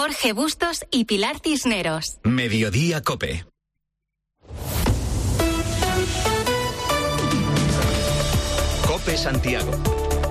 Jorge Bustos y Pilar Cisneros. Mediodía COPE. COPE Santiago.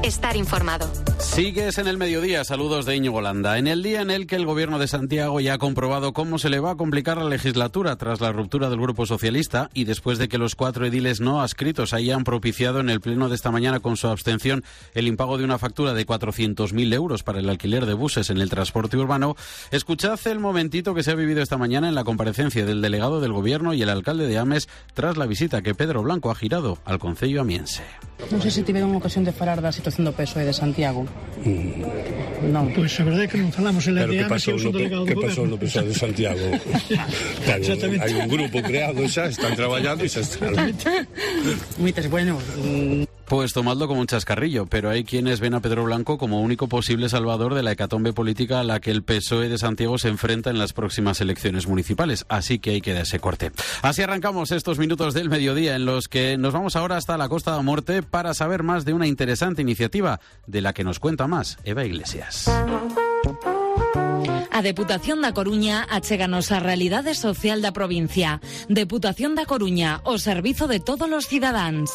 Estar informado. Sigues en el mediodía, saludos de Íñigo Landa. En el día en el que el gobierno de Santiago ya ha comprobado cómo se le va a complicar la legislatura tras la ruptura del Grupo Socialista y después de que los 4 ediles no adscritos hayan propiciado en el pleno de esta mañana con su abstención el impago de una factura de 400.000 euros para el alquiler de buses en el transporte urbano, escuchad el momentito que se ha vivido esta mañana en la comparecencia del delegado del gobierno y el alcalde de Ames tras la visita que Pedro Blanco ha girado al concello amiense. Non sei se tiveron ocasión de falar da situación do PSOE de Santiago. Non. Pois a verdade é que non falamos en la de Ames, eu sou delegado do goberno. Que pasou no PSOE de Santiago? Hai un grupo creado xa, están traballando e xa están. Moitas, bueno... Pues tomadlo como un chascarrillo, pero hay quienes ven a Pedro Blanco como único posible salvador de la hecatombe política a la que el PSOE de Santiago se enfrenta en las próximas elecciones municipales, así que hay que dar ese corte. Así arrancamos estos minutos del mediodía en los que nos vamos ahora hasta la Costa da Morte para saber más de una interesante iniciativa de la que nos cuenta más Eva Iglesias. A Deputación da Coruña achéganos a realidade social da provincia. Deputación da Coruña, o servizo de todos os cidadáns.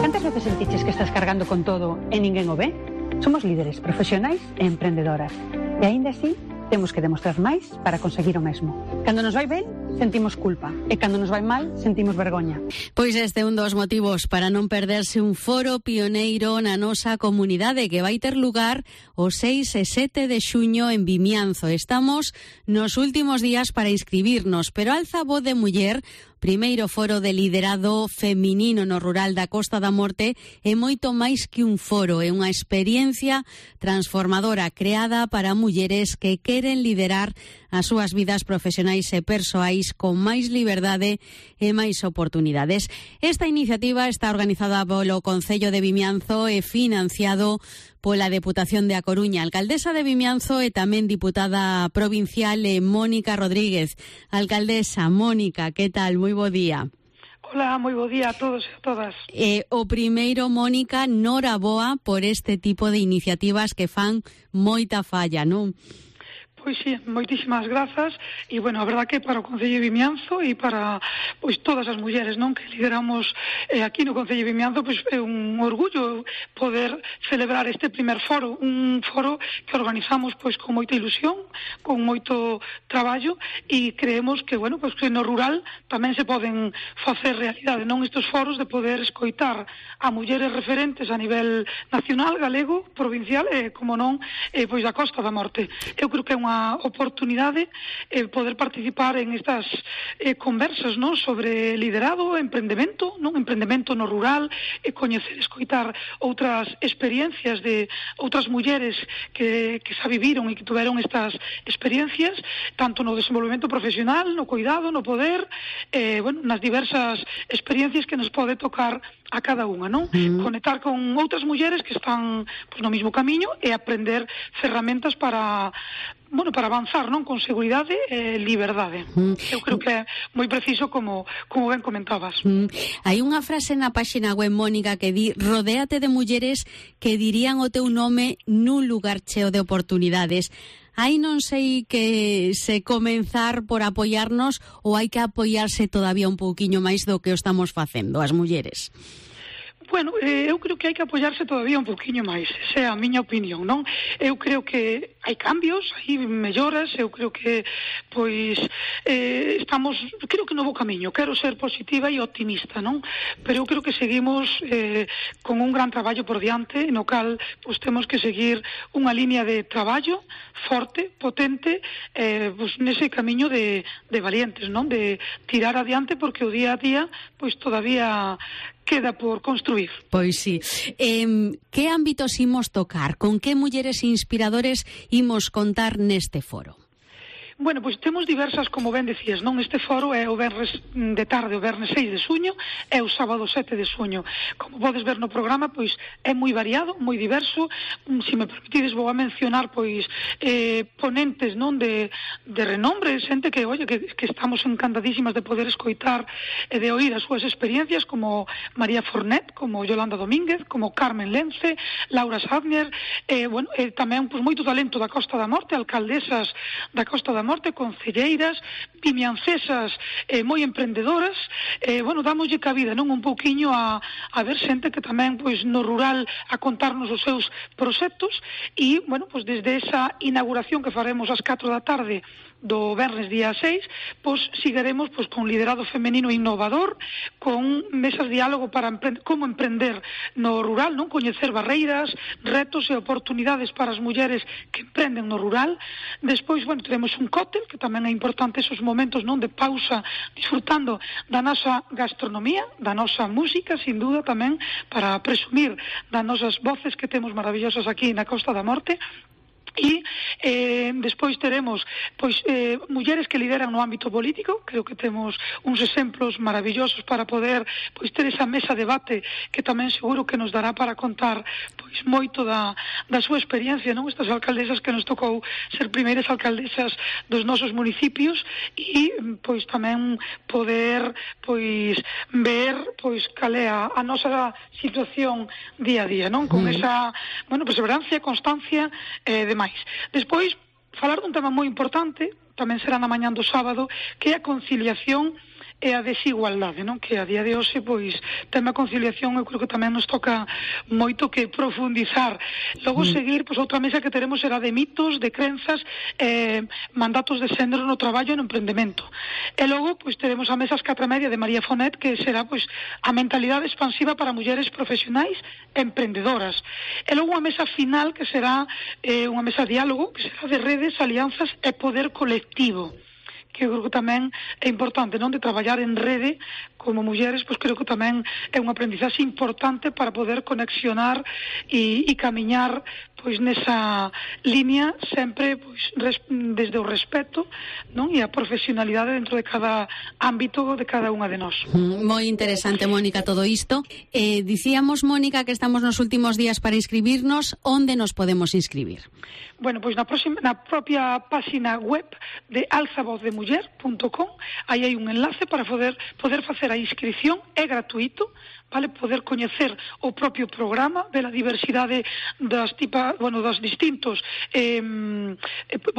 Cantas veces sentiches que estás cargando con todo e ninguén o ve? Somos líderes profesionais e emprendedoras. E aínda así, temos que demostrar máis para conseguir o mesmo. Cando nos vai ben, sentimos culpa. E cando nos vai mal, sentimos vergoña. Pois este é un dos motivos para non perderse un foro pioneiro na nosa comunidade que vai ter lugar o 6 e 7 de xuño en Vimianzo. Estamos nos últimos días para inscribirnos, pero alza voz de muller, primeiro foro de liderado feminino no rural da Costa da Morte, é moito máis que un foro, é unha experiencia transformadora creada para mulleres que queren liderar as súas vidas profesionais e persoais con máis liberdade e máis oportunidades. Esta iniciativa está organizada polo Concello de Vimianzo e financiado pola Deputación de A Coruña. Alcaldesa de Vimianzo e tamén diputada provincial Mónica Rodríguez. Alcaldesa Mónica, que tal? Moi bo día. Hola, moi bo día a todos e a todas. O primeiro, Mónica, noraboa por este tipo de iniciativas que fan moita falla, non? Pois sí, moitísimas grazas e, bueno, a verdad que para o Concello de Vimianzo e para, pois, todas as mulleres, non, que lideramos aquí no Concello de Vimianzo, pois é un orgullo poder celebrar este primer foro, un foro que organizamos, pois, con moita ilusión, con moito traballo e creemos que, bueno, pois que no rural tamén se poden facer realidade, non, estes foros de poder escoitar a mulleres referentes a nivel nacional, galego, provincial e, como non, pois da Costa da Morte. Eu creo que é unha oportunidade poder participar en estas conversas, non, sobre liderado, emprendemento, non, emprendemento no rural, coñecer, escoitar outras experiencias de outras mulleres que xa viviron e que tuveron estas experiencias, tanto no desenvolvemento profesional, no cuidado, no poder, bueno, nas diversas experiencias que nos pode tocar a cada unha, non? Conectar con outras mulleres que están, pois, no mesmo camiño e aprender ferramentas para, bueno, para avanzar, non, con seguridade e liberdade. Eu creo que é moi preciso como ben comentabas. Hai unha frase na páxina web, Mónica, que di: rodéate de mulleres que dirían o teu nome nun lugar cheo de oportunidades. Hai, non sei, que se comenzar por apoiarnos ou hai que apoiarse todavía un pouquiño máis do que o estamos facendo as mulleres? Bueno, eu creo que hai que apoiarse todavía un poquinho máis, esa é a miña opinión, non? Eu creo que hai cambios, hai melloras, eu creo que, pois, estamos, creo que no bo camiño, quero ser positiva e optimista, non? Pero eu creo que seguimos con un gran traballo por diante, no cal, pois, temos que seguir unha línea de traballo forte, potente, pois, nese camiño de valientes, non? De tirar adiante, porque o día a día, pois, todavía queda por construir. Pois sí. Que ámbitos imos tocar? Con que mulleres inspiradores imos contar neste foro? Bueno, pois temos diversas, como ben decías, non? Este foro é o venres de tarde, o venres 6 de suño, e o sábado 7 de suño. Como podes ver no programa, pois é moi variado, moi diverso. Se me permitides, vou a mencionar, pois, ponentes, non? De renombre, xente que, oye, que estamos encantadísimas de poder escoitar e de oír as súas experiencias, como María Fornet, como Yolanda Domínguez, como Carmen Lence, Laura Sadner, tamén, pois, moito talento da Costa da Morte, alcaldesas da Costa da Morte, concelleiras, vimiancesas moi emprendedoras, dámoslle cabida, non, un pouquiño a ver xente que tamén, pois, no rural a contarnos os seus proxectos e, pois, desde esa inauguración que faremos ás 4 da tarde do venres día 6, pois seguiremos pois con liderado femenino innovador, con mesas de diálogo para como emprender no rural, non, coñecer barreiras, retos e oportunidades para as mulleres que emprenden no rural. Despois, teremos un cóctel, que tamén é importante esos momentos, non, de pausa, disfrutando da nosa gastronomía, da nosa música, sin duda tamén para presumir das nosas voces que temos maravillosas aquí na Costa da Morte. E despois teremos mulleres que lideran no ámbito político. Creo que temos uns exemplos maravillosos para poder ter esa mesa de debate que tamén seguro que nos dará para contar moito da súa experiencia, non? Estas alcaldesas que nos tocou ser primeiras alcaldesas dos nosos municipios e tamén poder ver cal é a nosa situación día a día, non? Con esa perseverancia, constancia de máis. Despois, falar dun tema moi importante, tamén será na mañá do sábado, que é a conciliación e a desigualdade, non? Que a día de hoxe, tema conciliación, eu creo que tamén nos toca moito que profundizar. Logo seguir, outra mesa que teremos será de mitos, de crenzas, mandatos de xénero no traballo e no emprendemento. E logo, teremos a mesa ás 4:30 de María Fornet, que será, a mentalidade expansiva para mulleres profesionais e emprendedoras. E logo a mesa final, que será unha mesa de diálogo, que será de redes, alianzas e poder colectivo, que eu creo que tamén é importante, non, de traballar en rede como mulleres, creo que tamén é unha aprendizaxe importante para poder conexionar e camiñar nesa línea sempre desde o respeto, non, e a profesionalidade dentro de cada ámbito de cada unha de nós. Moi interesante, Mónica, todo isto. Dicíamos, Mónica, que estamos nos últimos días para inscribirnos. Onde nos podemos inscribir? Na propia página web de alzavozdemuller.com, aí hai un enlace para poder facer a inscripción, é gratuito, vale, poder coñecer o propio programa, ver a diversidade das distintos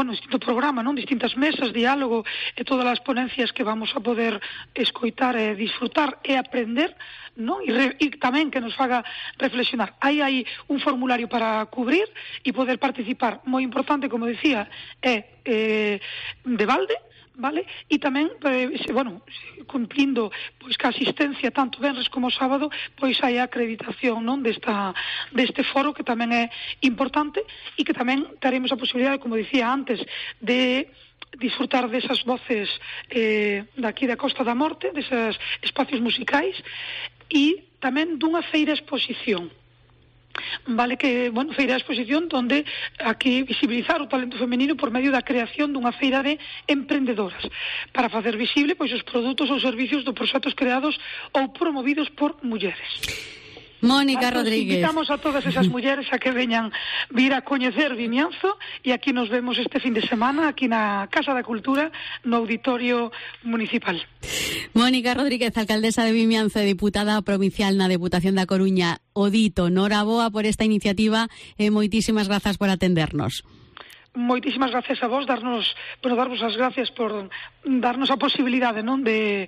distinto programa, non, distintas mesas, diálogo e todas as ponencias que vamos a poder escoitar e disfrutar e aprender, non? E tamén que nos faga reflexionar. Hai un formulario para cubrir e poder participar. Moi importante, como decía, é de balde, vale? E tamén, cumplindo ca asistencia tanto venres como sábado, hai a acreditación, non, deste foro, que tamén é importante, e que tamén teremos a posibilidade, como dicía antes, de disfrutar desas voces daqui da Costa da Morte, deses espacios musicais, e tamén dunha feira exposición. Vale, que, feira de exposición onde aquí visibilizar o talento femenino por medio da creación dunha feira de emprendedoras para facer visible os produtos ou servicios dos proxectos creados ou promovidos por mulleres. Mónica Rodríguez. Invitamos a todas esas mulleres a que veñan vir a coñecer Vimianzo, e aquí nos vemos este fin de semana aquí na Casa da Cultura, no Auditorio Municipal. Mónica Rodríguez, alcaldesa de Vimianzo e diputada provincial na Deputación da Coruña. O dito, noraboa por esta iniciativa e moitísimas grazas por atendernos. Moitísimas gracias a vos, darvos as gracias por darnos a posibilidade, non, de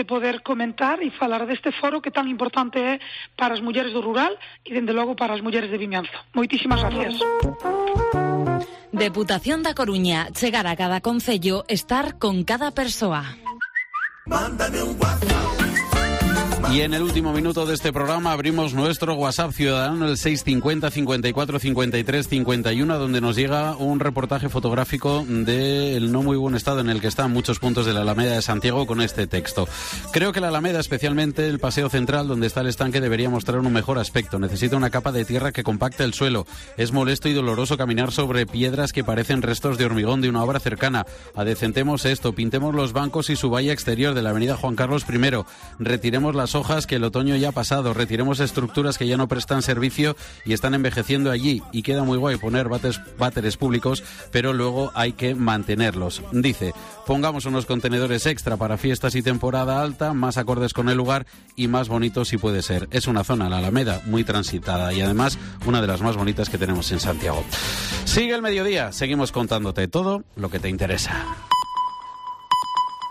poder comentar e falar deste foro que tan importante é para as mulleres do rural e, dende logo, para as mulleres de Vimianzo. Moitísimas gracias. Deputación da Coruña, chegar a cada concello, estar con cada persoa. Mándame un WhatsApp. Y en el último minuto de este programa abrimos nuestro WhatsApp ciudadano, el 650 54 53 51, donde nos llega un reportaje fotográfico del no muy buen estado en el que están muchos puntos de la Alameda de Santiago con este texto. Creo que la Alameda, especialmente el paseo central donde está el estanque, debería mostrar un mejor aspecto. Necesita una capa de tierra que compacte el suelo. Es molesto y doloroso caminar sobre piedras que parecen restos de hormigón de una obra cercana. Adecentemos esto, pintemos los bancos y su valla exterior de la avenida Juan Carlos I. Retiremos las hojas que el otoño ya ha pasado. Retiremos estructuras que ya no prestan servicio y están envejeciendo allí. Y queda muy guay poner váteres públicos, pero luego hay que mantenerlos. Dice, pongamos unos contenedores extra para fiestas y temporada alta, más acordes con el lugar y más bonito si puede ser. Es una zona, la Alameda, muy transitada y además una de las más bonitas que tenemos en Santiago. Sigue el mediodía, seguimos contándote todo lo que te interesa.